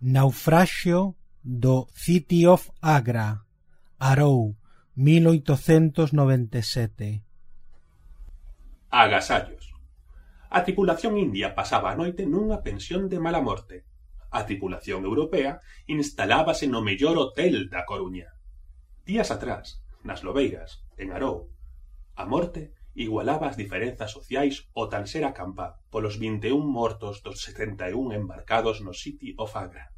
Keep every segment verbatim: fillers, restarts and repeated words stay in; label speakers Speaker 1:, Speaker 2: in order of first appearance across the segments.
Speaker 1: Naufraxio do City of Agra, Arou, mil oitocentos noventa e sete.
Speaker 2: Agasallos. A tripulación india pasaba a noite nunha pensión de mala morte. A tripulación europea instalábase no mellor hotel da Coruña. Días atrás, nas Lobeiras, en Arou, a morte igualaba as diferenzas sociais ao tan ser acampa polos vinte e un mortos dos setenta e un embarcados no City of Agra.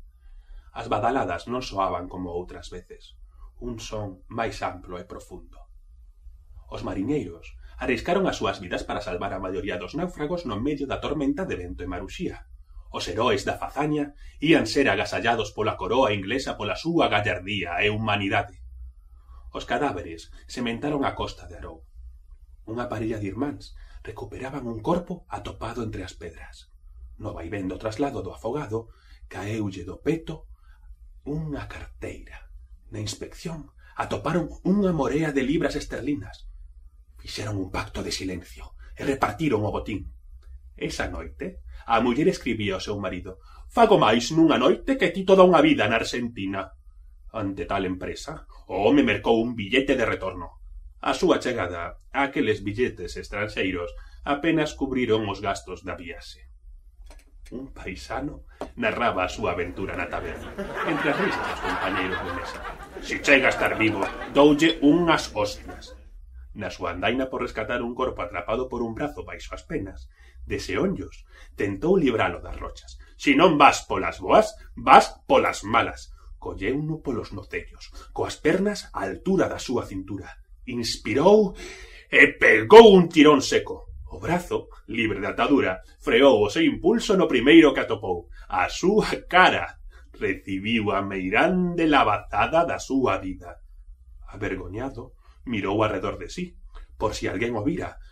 Speaker 2: As badaladas non soaban como outras veces, un son máis amplo e profundo. Os mariñeiros arriscaron as súas vidas para salvar a maioría dos náufragos no medio da tormenta de vento e maruxía. Os heróis da fazaña ían ser agasallados pola coroa inglesa pola súa gallardía e humanidade. Os cadáveres sementaron a costa de Arou. Unha parella de irmáns recuperaban un corpo atopado entre as pedras. No vaivén do traslado do afogado, caeulle do peto unha carteira. Na inspección atoparon unha morea de libras esterlinas. Fixeron un pacto de silencio e repartiron o botín. Esa noite, a muller escribía ao seu marido: «Fago máis nunha noite que ti toda unha vida na Argentina». Ante tal empresa, o home mercou un billete de retorno. A súa chegada a aqueles billetes estranxeiros apenas cubriron os gastos da viaxe. Un paisano narraba a súa aventura na taberna, entre as risas dos compañeiros de mesa. «Si chega a estar vivo, doulle unhas hostias». Na súa andaina por rescatar un corpo atrapado por un brazo baixo as penas, deseonllos, tentou libralo das rochas. «Si non vas polas boas, vas polas malas». Colleuno polos nocellos, coas pernas á altura da súa cintura. Inspirou e pegou un tirón seco. O brazo, libre de atadura, freou o seu impulso no primeiro que atopou. A súa cara recibiu a meirande labazada da súa vida. Avergoñado, mirou arredor de sí, por si alguén o vira.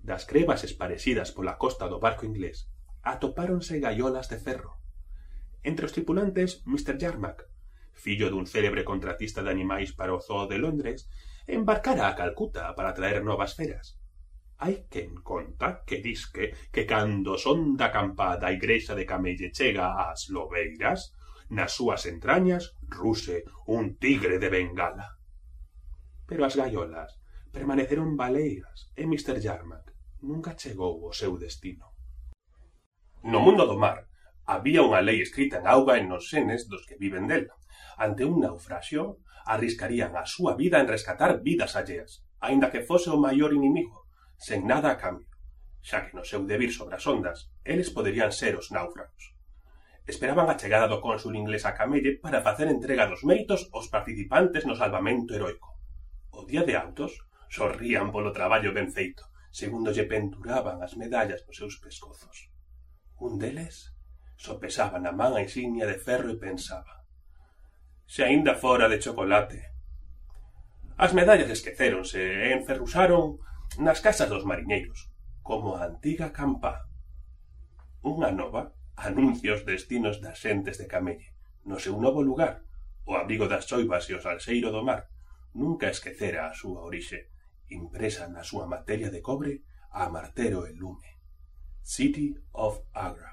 Speaker 2: Das crevas esparecidas pola costa do barco inglés, atopáronse gaiolas de ferro. Entre os tripulantes, mister Yarmack, fillo dun célebre contratista de animais para o Zoo de Londres, embarcara a Calcuta para traer novas feras. Hai quen conta que disque que cando son da campada a igrexa de Camelle chega ás Lobeiras, nas súas entrañas ruse un tigre de Bengala. Pero as gaiolas permaneceron baleiras e mister Yarmack nunca chegou ao seu destino. No mundo do mar había unha lei escrita en auga e nos senes dos que viven dela. Ante un naufraxio, arriscarían a súa vida en rescatar vidas alleas, aínda que fose o maior inimigo, sen nada a cambio, xa que no seu debir sobre as ondas, eles poderían ser os náufragos. Esperaban a chegada do cónsul inglés a Camelle para facer entrega dos méritos aos participantes no salvamento heroico. O día de autos, sorrían polo traballo ben feito, segundo lle penturaban as medallas nos seus pescozos. Un deles sopesaba na man a insignia de ferro e pensaba: se aínda fora de chocolate. As medallas esquecéronse e enferruxaron nas casas dos mariñeiros, como a antiga campá. Unha nova anuncia os destinos das xentes de Camelle. No seu novo lugar, o abrigo das choivas e o salseiro do mar, nunca esquecera a súa orixe, impresa na súa materia de cobre a martero e lume. City of Agra.